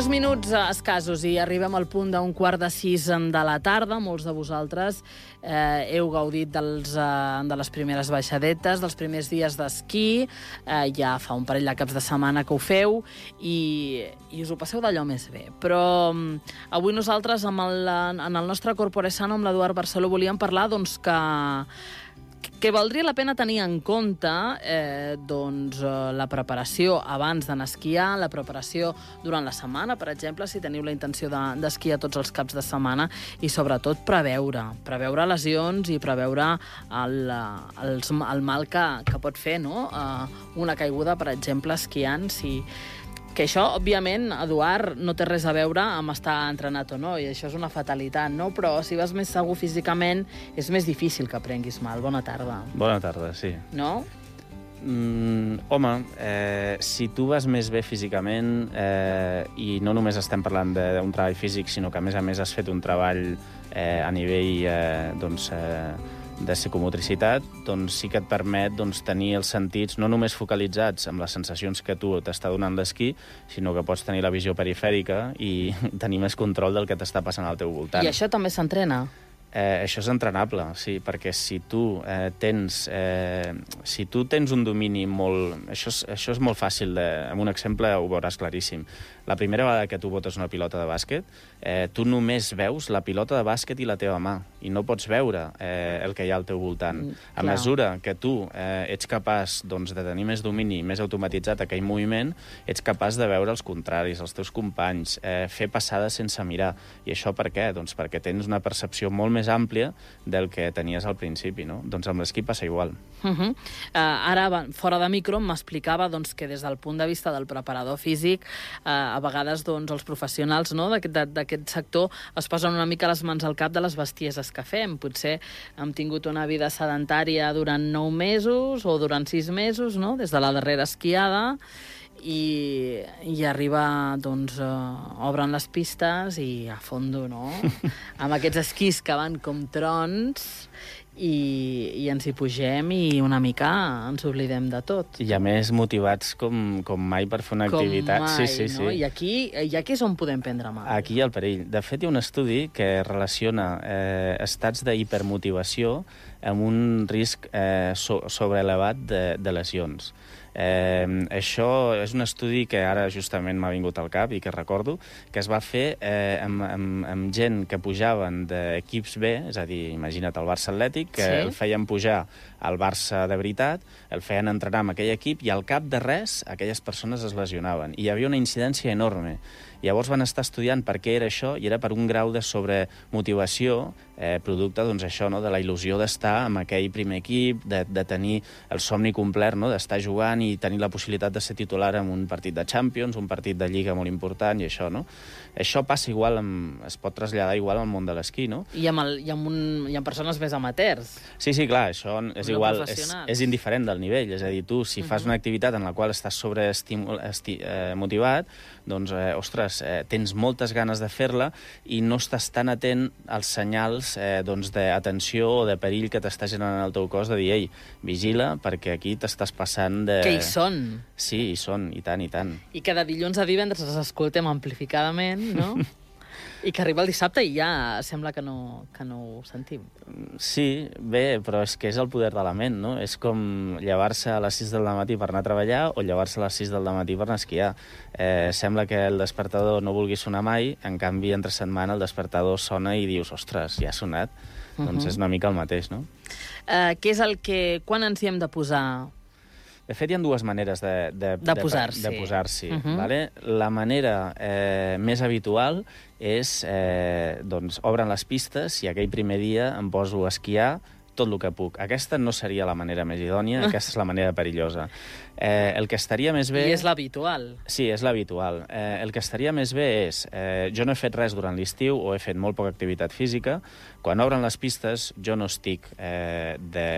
2 minuts escassos i arribem al punt d'un 5:15 de la tarda. Molts de vosaltres heu gaudit de les primeres baixadetes, dels primers dies d'esquí. Ja fa un parell de caps de setmana que ho feu i us ho passeu d'allò més bé. Però avui nosaltres, en el nostre Corpore Sano, amb l'Eduard Barceló, volíem parlar que valdria la pena tenir en compte la preparació abans d'anar a esquiar, la preparació durant la setmana, per exemple, si teniu la intenció d'esquiar tots els caps de setmana, i sobretot preveure lesions i preveure el mal que pot fer, no? Una caiguda, per exemple, esquiant, que això, òbviament, Eduard, no té res a veure amb estar entrenat o no, i això és una fatalitat, no? Però si vas més segur físicament, és més difícil que prenguis mal. Bona tarda. Bona tarda, sí. No? Home, si tu vas més bé físicament, i no només estem parlant d'un treball físic, sinó que, a més, has fet un treball a nivell de psicomotricitat, doncs sí que et permet tenir els sentits no només focalitzats amb les sensacions que tu t'està donant l'esquí, sinó que pots tenir la visió perifèrica i tenir més control del que t'està passant al teu voltant. I això també s'entrena? Això és entrenable, sí, perquè si tu tens un domini molt... Això és molt fàcil, amb un exemple ho veuràs claríssim. La primera vegada que tu botes una pilota de bàsquet, tu només veus la pilota de bàsquet i la teva mà, i no pots veure el que hi ha al teu voltant. A mesura que tu ets capaç de tenir més domini, més automatitzat aquell moviment, ets capaç de veure els contraris, els teus companys, fer passades sense mirar. I això per què? Doncs perquè tens una percepció molt més àmplia del que tenies al principi, no? Doncs amb l'esquí passa igual. Ara, fora de micro, m'explicava que des del punt de vista del preparador físic, a vegades els professionals d'aquest sector es posen una mica les mans al cap de les bestieses que fem. Potser hem tingut una vida sedentària durant 9 mesos o durant 6 mesos, no? Des de la darrera esquiada, i arriba, obren les pistes i a fondo, no? Amb aquests esquís que van com trons, i ens hi pugem i una mica ens oblidem de tot. I a més motivats com mai per fer una activitat. Com mai, sí. No? I aquí és on podem prendre mal. Aquí hi ha el perill. De fet, hi ha un estudi que relaciona estats d'hipermotivació amb un risc sobreelevat de lesions. Això és un estudi que ara justament m'ha vingut al cap i que recordo, que es va fer amb gent que pujaven d'equips B, és a dir, imagina't el Barça Atlètic, que el feien pujar al Barça de veritat, el feien entrenar amb aquell equip i al cap de res aquelles persones es lesionaven. I hi havia una incidència enorme. Llavors van estar estudiant per què era això, i era per un grau de sobremotivació producte això, de la il·lusió d'estar amb aquell primer equip, de tenir el somni complet, d'estar jugant i tenir la possibilitat de ser titular en un partit de Champions, un partit de Lliga molt important, i això, no? Això passa igual, es pot traslladar igual al món de l'esquí, no? I amb persones més amateurs. Sí, clar, això és igual, és indiferent del nivell, és a dir, tu, si fas una activitat en la qual estàs motivat, doncs, ostres, tens moltes ganes de fer-la i no estàs tan atent als senyals d'atenció o de perill que t'està generant el teu cos, de dir, ei, vigila, perquè aquí t'estàs passant de... Que hi són. Sí, hi són, i tant, i tant. I que de dilluns a divendres els escoltem amplificadament, no? I que arriba el dissabte i ja sembla que no ho sentim. Sí, bé, però és que és el poder de la ment, no? És com llevar-se a les 6 del matí per anar a treballar o llevar-se a les 6 del matí per anar a esquiar. Sembla que el despertador no vulgui sonar mai, en canvi, entre setmana el despertador sona i dius, ostres, ja ha sonat. Doncs és una mica el mateix, no? Què és el que... Quan ens hi hem de posar? De fet, hi ha dues maneres de posar-s'hi. Vale? La manera més habitual és, obren les pistes i aquell primer dia em poso a esquiar tot el que puc. Aquesta no seria la manera més idònia, aquesta és la manera perillosa. El que estaria més bé... I és l'habitual. Sí, és l'habitual. El que estaria més bé és... jo no he fet res durant l'estiu o he fet molt poca activitat física. Quan obren les pistes, jo no estic de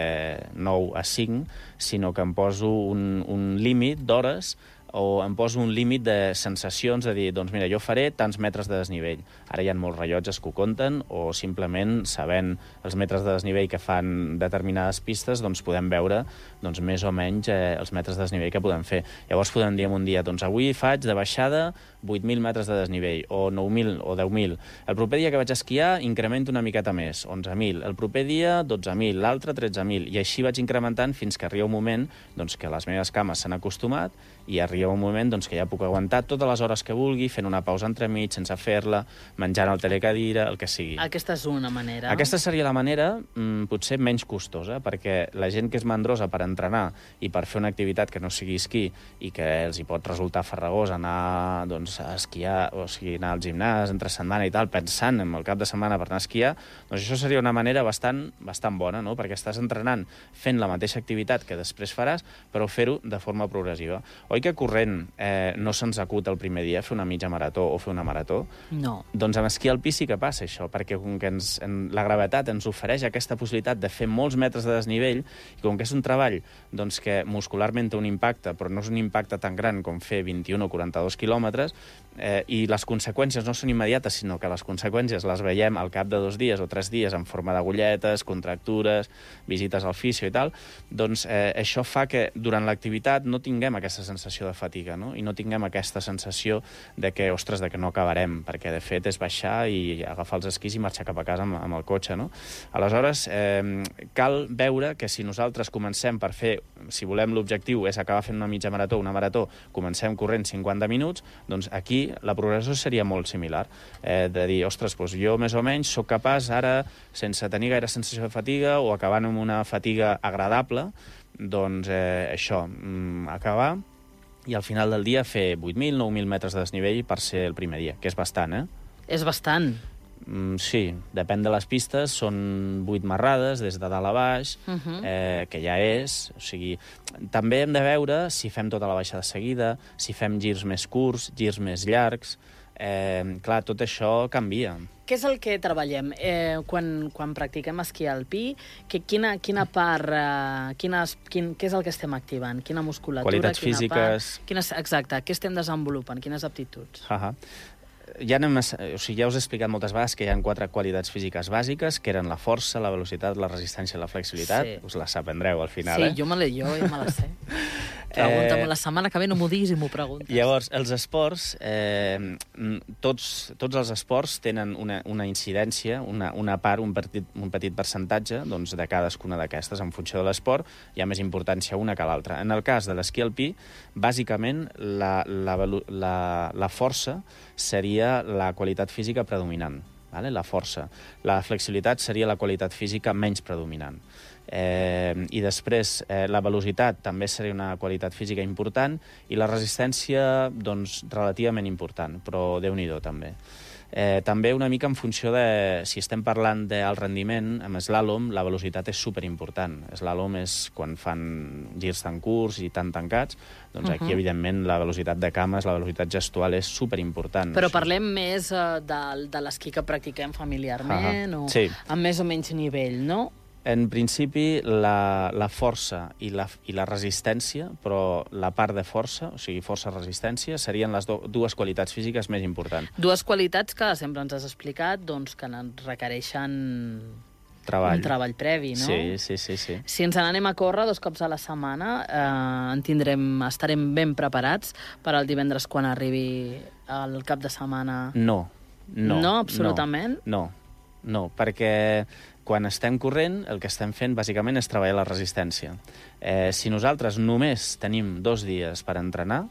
9 a 5, sinó que em poso un límit d'hores o em poso un límit de sensacions, de dir, doncs mira, jo faré tants metres de desnivell. Ara hi ha molts rellotges que ho compten, o simplement sabent els metres de desnivell que fan determinades pistes, doncs podem veure doncs, més o menys els metres de desnivell que podem fer. Llavors podem dir un dia, doncs avui faig de baixada 8.000 metres de desnivell, o 9.000 o 10.000. El proper dia que vaig esquiar incremento una miqueta més, 11.000. El proper dia 12.000, l'altre 13.000. I així vaig incrementant fins que arriba un moment doncs, que les meves cames s'han acostumat i arriba un moment doncs, que ja puc aguantar totes les hores que vulgui, fent una pausa entremig, sense fer-la, menjant al telecadira, el que sigui. Aquesta és una manera. Aquesta seria la manera potser menys costosa, perquè la gent que és mandrosa per entrenar i per fer una activitat que no sigui esquí i que els hi pot resultar farragós anar doncs, a esquiar, o sigui, anar al gimnàs entre setmana i tal, pensant en el cap de setmana per anar a esquiar, doncs això seria una manera bastant bona, no? Perquè estàs entrenant fent la mateixa activitat que després faràs, però fer-ho de forma progressiva. Oi que corrent no se'ns acut el primer dia fer una mitja marató o fer una marató? No. Doncs amb esquí alpí sí que passa això, perquè com que la gravetat ens ofereix aquesta possibilitat de fer molts metres de desnivell, i com que és un treball doncs, que muscularment té un impacte, però no és un impacte tan gran com fer 21 o 42 quilòmetres, i les conseqüències no són immediates, sinó que les conseqüències les veiem al cap de 2 dies o 3 dies en forma d'agulletes, contractures, visites al fisio i tal, doncs això fa que durant l'activitat no tinguem aquesta sensació de fatiga, no? I no tinguem aquesta sensació de que, ostres, de que no acabarem, perquè de fet és baixar i agafar els esquís i marxar cap a casa amb el cotxe, no? Aleshores, cal veure que si nosaltres comencem per fer, si volem l'objectiu és acabar fent una mitja marató, una marató, comencem corrent 50 minuts, doncs aquí la progressió seria molt similar, de dir, ostres, doncs jo més o menys sóc capaç ara, sense tenir gaire sensació de fatiga o acabant amb una fatiga agradable, doncs això, acabar i al final del dia fer 8.000, 9.000 metres de desnivell per ser el primer dia, que és bastant, És bastant. Sí, depèn de les pistes, són 8 marrades des de dalt a baix, que ja és, o sigui, també hem de veure si fem tota la baixada seguida, si fem girs més curts, girs més llargs, clar, tot això canvia. Què és el que treballem quan practiquem esquí alpí? Quina part, què és el que estem activant? Quina musculatura, qualitats quina físiques... part? Exacte, què estem desenvolupant? Quines aptituds? Ja us he explicat moltes vegades que hi ha 4 qualitats físiques bàsiques, que eren la força, la velocitat, la resistència i la flexibilitat. Sí. Us les aprendreu al final, Sí, jo ja me les sé. Pregunta-m'ho la setmana que ve, no m'ho diguis i m'ho preguntes. Llavors, els esports, tots els esports tenen una incidència, una part, un petit percentatge doncs, de cadascuna d'aquestes. En funció de l'esport hi ha més importància una que l'altra. En el cas de l'esquí alpí, bàsicament la força seria la qualitat física predominant, la força. La flexibilitat seria la qualitat física menys predominant. I després la velocitat també seria una qualitat física important i la resistència doncs, relativament important, però Déu-n'hi-do també. També una mica en funció de si estem parlant d'alt rendiment, amb slàlom la velocitat és superimportant. Slàlom és quan fan girs tan curts i tan tancats, doncs aquí evidentment la velocitat de cames, la velocitat gestual és superimportant. Però parlem més de l'esquí que practiquem familiarment o sí, amb més o menys nivell, no? En principi, la força i la resistència, però la part de força, o sigui, força-resistència, serien les dues qualitats físiques més importants. Dues qualitats que sempre ens has explicat doncs, que requereixen un treball previ, no? Sí. Si ens n'anem a córrer 2 cops a la setmana, estarem ben preparats per al divendres quan arribi el cap de setmana? No, absolutament? No, perquè quan estem corrent, el que estem fent bàsicament és treballar la resistència. Si nosaltres només tenim 2 dies per entrenar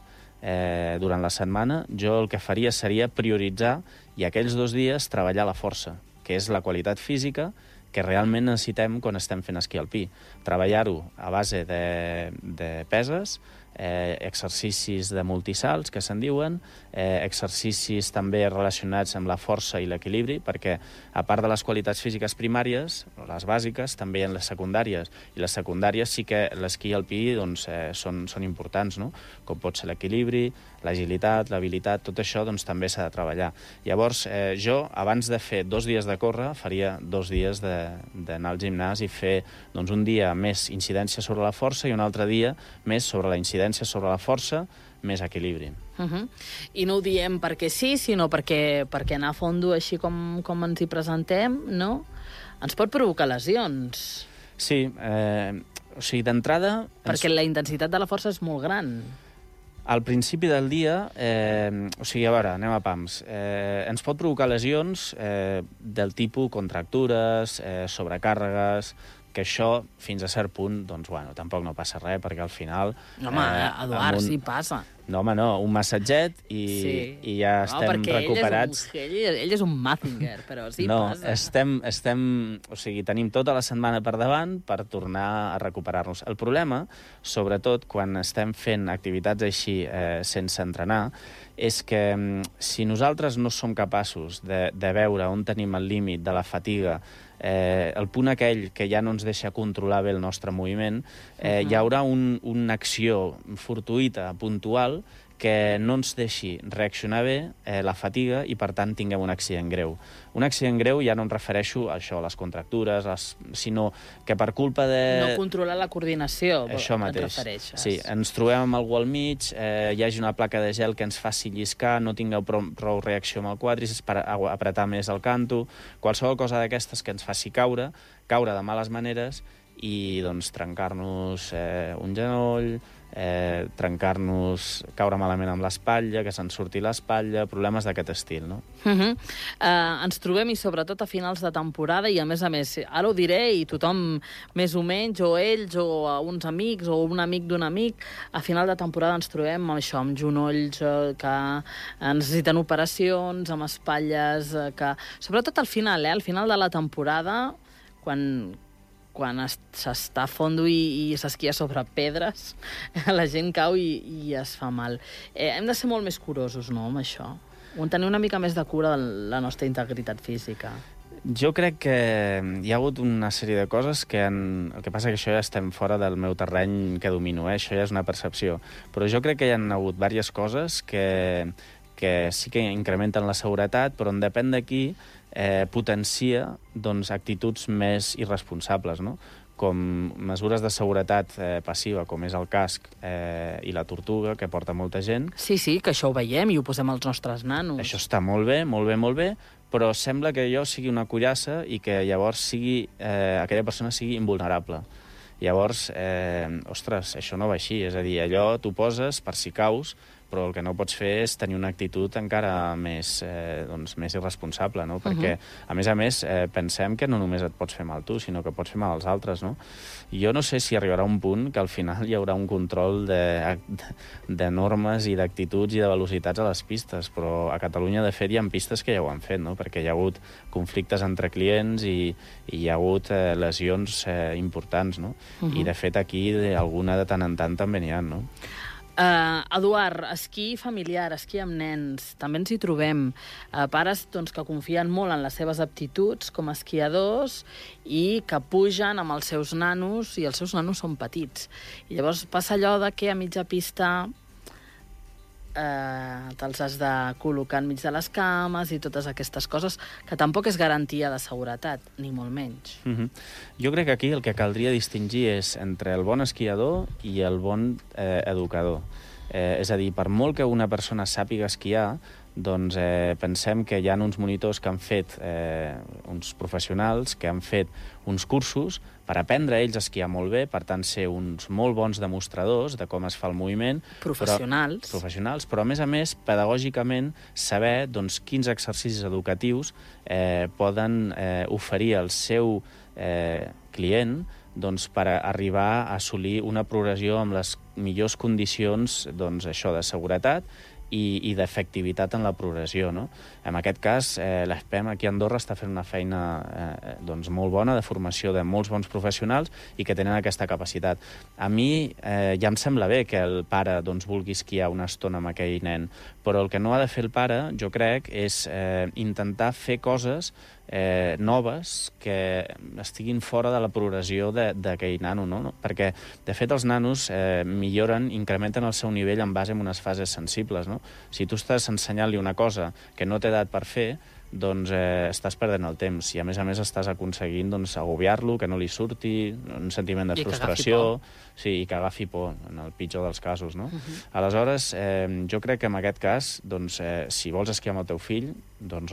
durant la setmana, jo el que faria seria prioritzar i aquells 2 dies treballar la força, que és la qualitat física que realment necessitem quan estem fent esquí alpí. Treballar-ho a base de peses, exercicis de multisalts, que se'n diuen, exercicis també relacionats amb la força i l'equilibri, perquè a part de les qualitats físiques primàries, les bàsiques, també hi ha les secundàries, i les secundàries sí que l'esquí alpí doncs, són importants, no? Com pot ser l'equilibri, l'agilitat, l'habilitat, tot això doncs, també s'ha de treballar. Llavors, jo, abans de fer 2 dies de córrer, faria 2 dies d'anar al gimnàs i fer doncs, un dia més incidència sobre la força i un altre dia més sobre la incidència incidència sobre la força, més equilibri. I no ho diem perquè sí, sinó perquè anar a fondo així com ens hi presentem, no? Ens pot provocar lesions. Sí, o sigui, d'entrada... Perquè la intensitat de la força és molt gran. Al principi del dia, o sigui, a veure, anem a pams, ens pot provocar lesions del tipus contractures, sobrecàrregues, que això, fins a cert punt, doncs, bueno, tampoc no passa res, perquè al final... Home, Eduard, sí passa. No, home, no, un massatget i ja estem recuperats. Ell és un Mazinger, però sí passa. No, o sigui, tenim tota la setmana per davant per tornar a recuperar-nos. El problema, sobretot quan estem fent activitats així sense entrenar, és que si nosaltres no som capaços de veure on tenim el límit de la fatiga, el punt aquell que ja no ens deixa controlar bé el nostre moviment, hi haurà una acció fortuïta, puntual, que no ens deixi reaccionar bé la fatiga i, per tant, tinguem un accident greu. Un accident greu ja no em refereixo a això, a les contractures, sinó que per culpa de... No controlar la coordinació, això mateix. Et refereixes. Sí, ens trobem amb algú al mig, hi hagi una placa de gel que ens faci lliscar, no tingueu prou reacció amb el quàdriceps per apretar més el canto, qualsevol cosa d'aquestes que ens faci caure de males maneres i doncs trencar-nos un genoll, caure malament amb l'espatlla, que se'n surti l'espatlla, problemes d'aquest estil, no? Ens trobem, i sobretot a finals de temporada, i a més, ara ho diré, i tothom més o menys, o ells, o uns amics, o un amic d'un amic, a final de temporada ens trobem amb això, amb genolls que necessiten operacions, amb espatlles que... Sobretot al final de la temporada, quan s'està a fondo i s'esquia sobre pedres, la gent cau i es fa mal. Hem de ser molt més curosos, no?, amb això. Tenir una mica més de cura de la nostra integritat física. Jo crec que hi ha hagut una sèrie de coses que el que passa que això ja estem fora del meu terreny que domino, això ja és una percepció. Però jo crec que hi ha hagut diverses coses que sí que incrementen la seguretat, però en depèn d'aquí potencia doncs, actituds més irresponsables, no? Com mesures de seguretat passiva, com és el casc i la tortuga, que porta molta gent. Sí, que això ho veiem i ho posem als nostres nanos. Això està molt bé, molt bé, però sembla que allò sigui una cuirassa i que llavors aquella persona sigui invulnerable. Llavors, ostres, això no va així, és a dir, allò t'ho poses per si caus, però el que no pots fer és tenir una actitud encara més irresponsable, no? Perquè, a més, pensem que no només et pots fer mal tu, sinó que pots fer mal als altres, no? Jo no sé si arribarà un punt que al final hi haurà un control de normes i d'actituds i de velocitats a les pistes, però a Catalunya, de fet, hi ha pistes que ja ho han fet, no? Perquè hi ha hagut conflictes entre clients i hi ha hagut lesions importants, no? I, de fet, aquí alguna de tant en tant també n'hi ha, no? Eduard, esquí familiar, esquí amb nens, també ens hi trobem. Pares que confien molt en les seves aptituds com a esquiadors i que pugen amb els seus nanos, i els seus nanos són petits. I llavors passa allò de que a mitja pista te'ls has de col·locar enmig de les cames i totes aquestes coses, que tampoc és garantia de seguretat, ni molt menys. Jo crec que aquí el que caldria distingir és entre el bon esquiador i el bon educador. És a dir, per molt que una persona sàpiga esquiar, doncs pensem que hi ha uns monitors que han fet, uns professionals que han fet uns cursos per aprendre ells a esquiar molt bé, per tant ser uns molt bons demostradors de com es fa el moviment. Professionals, però a més, pedagògicament, saber quins exercicis educatius poden oferir al seu client per arribar a assolir una progressió amb les millors condicions de seguretat i d'efectivitat en la progressió, no? En aquest cas, l'ESPEM aquí a Andorra està fent una feina molt bona de formació de molts bons professionals i que tenen aquesta capacitat. A mi ja em sembla bé que el pare vulgui esquiar una estona amb aquell nen, però el que no ha de fer el pare, jo crec, és intentar fer coses noves que estiguin fora de la progressió d'aquell nano, no? Perquè, de fet, els nanos milloren, incrementen el seu nivell en base a unes fases sensibles, no? Si tu estàs ensenyant-li una cosa que no té edat per fer, doncs estàs perdent el temps i, a més, estàs aconseguint agobiar-lo, que no li surti, un sentiment de frustració, i que agafi por, en el pitjor dels casos, no? Aleshores, jo crec que en aquest cas, si vols esquiar amb el teu fill,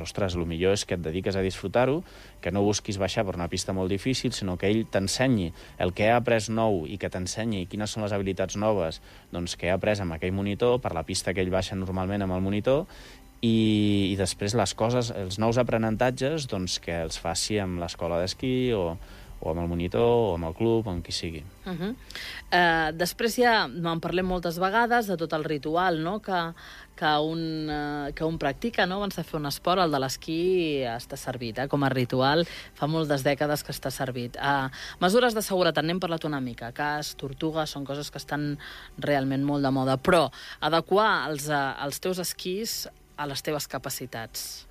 ostres, el millor és que et dediques a disfrutar-ho, que no busquis baixar per una pista molt difícil, sinó que ell t'ensenyi el que ha après nou i que t'ensenyi quines són les habilitats noves que ha après amb aquell monitor, per la pista que ell baixa normalment amb el monitor, i després les coses, els nous aprenentatges, que els faci amb l'escola d'esquí o amb el monitor, o amb el club, o amb qui sigui. Després ja en parlem moltes vegades de tot el ritual, no?, que un practica, no?, abans de fer un esport. El de l'esquí està servit, com a ritual. Fa moltes dècades que està servit. Mesures de seguretat, n'hem parlat una mica. Casc, tortuga, són coses que estan realment molt de moda. Però adequar els teus esquís a les teves capacitats.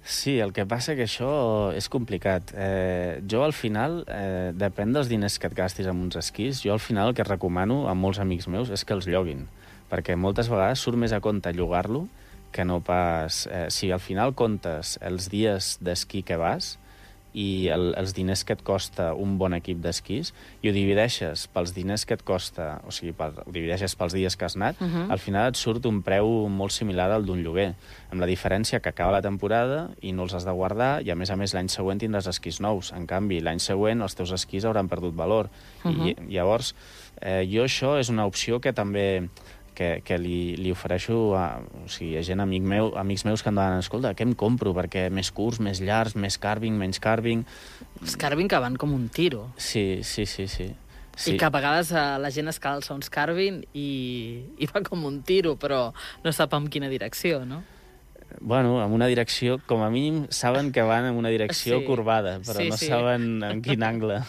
Sí, el que passa que això és complicat. Jo, al final, depèn dels diners que et gastis amb uns esquís, jo, al final, el que recomano a molts amics meus és que els lloguin, perquè moltes vegades surt més a compte llogar-lo que no pas... Si al final comptes els dies d'esquí que vas i els diners que et costa un bon equip d'esquís i ho divideixes pels diners que et costa, o sigui, ho divideixes pels dies que has anat, al final et surt un preu molt similar al d'un lloguer, amb la diferència que acaba la temporada i no els has de guardar i, a més, l'any següent tindràs esquís nous. En canvi, l'any següent els teus esquís hauran perdut valor. I llavors, jo això és una opció que també... que li ofereixo a gent, amics meus que em demanen, escolta, què em compro? Perquè més curts, més llargs, més carving, menys carving... Els carving que van com un tiro. Sí. I que a vegades la gent es calça uns carving i va com un tiro, però no sap en quina direcció, no? Bueno, en una direcció, com a mínim, saben que van en una direcció corbada, però no saben en quin angle.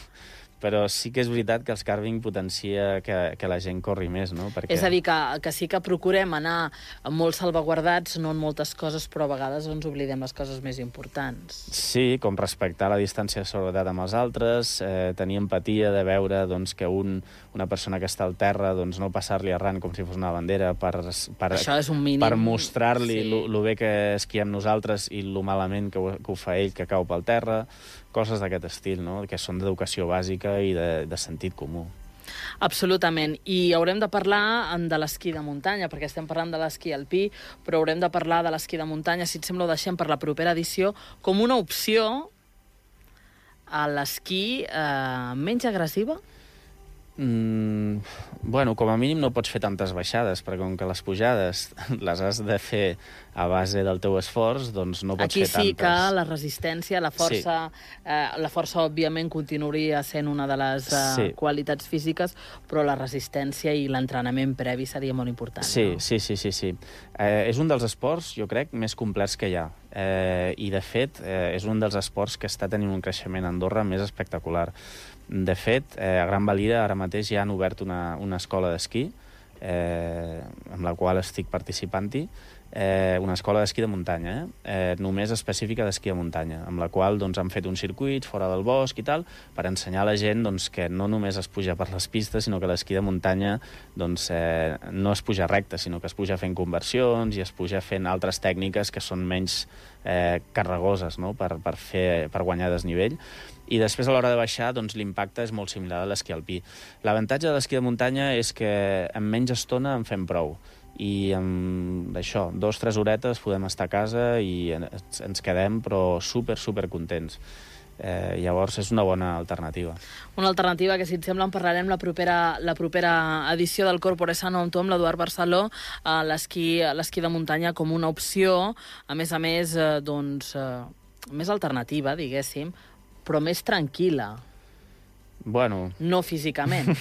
Però sí que és veritat que els carving potencia que la gent corri més, no? És a dir, que sí que procurem anar molt salvaguardats, no en moltes coses, però a vegades ens oblidem les coses més importants. Sí, com respectar la distància de seguretat amb els altres, tenir empatia de veure que una persona que està al terra no passar-li arran com si fos una bandera això és un mínim. Per mostrar-li lo bé que esquiem nosaltres i lo malament que ho fa ell, que cau pel terra, coses d'aquest estil, no?, que són d'educació bàsica i de sentit comú. Absolutament. I haurem de parlar de l'esquí de muntanya, perquè estem parlant de l'esquí alpí, però haurem de parlar de l'esquí de muntanya, si et sembla ho deixem per la propera edició, com una opció a l'esquí menys agressiva? Bueno, com a mínim no pots fer tantes baixades, perquè com que les pujades les has de fer a base del teu esforç, doncs no pots fer tantes. Aquí sí que la resistència, la força òbviament continuaria sent una de les qualitats físiques, però la resistència i l'entrenament previ seria molt important. Sí. És un dels esports, jo crec, més complets que hi ha. I, de fet, és un dels esports que està tenint un creixement a Andorra més espectacular. De fet, a Gran Valira ara mateix ja han obert una escola d'esquí, amb la qual estic participant-hi, una escola d'esquí de muntanya, només específica d'esquí de muntanya, amb la qual han fet un circuit fora del bosc i tal, per ensenyar a la gent que no només es puja per les pistes, sinó que l'esquí de muntanya no es puja recte, sinó que es puja fent conversions i es puja fent altres tècniques que són menys carregoses, no?, per guanyar desnivell. I després, a l'hora de baixar, l'impacte és molt similar a l'esquí alpí. L'avantatge de l'esquí de muntanya és que en menys estona en fem prou. I amb això, 2-3 horetes podem estar a casa i ens quedem, però super contents. Llavors, és una bona alternativa. Una alternativa que, si et sembla, en parlarem la propera edició del Corpore Sano amb tu, amb l'Eduard Barceló, l'esquí de muntanya com una opció, a més, més alternativa, diguéssim, però més tranquil·la. Bueno... No físicament.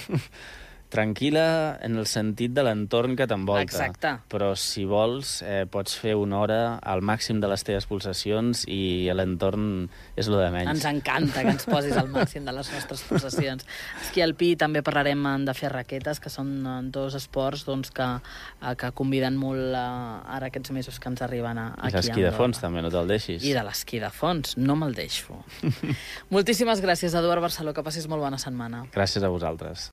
Tranquil·la en el sentit de l'entorn que t'envolta. Exacte. Però, si vols, pots fer una hora al màxim de les teves pulsacions i l'entorn és lo de menys. Ens encanta que ens posis al màxim de les nostres pulsacions. Esquí alpí també parlarem de fer raquetes, que són dos esports que conviden molt ara aquests mesos que ens arriben aquí a Andorra. I l'esquí de fons també, no te'l deixis. I de l'esquí de fons, no me'l deixo. Moltíssimes gràcies, Eduard Barceló, que passis molt bona setmana. Gràcies a vosaltres.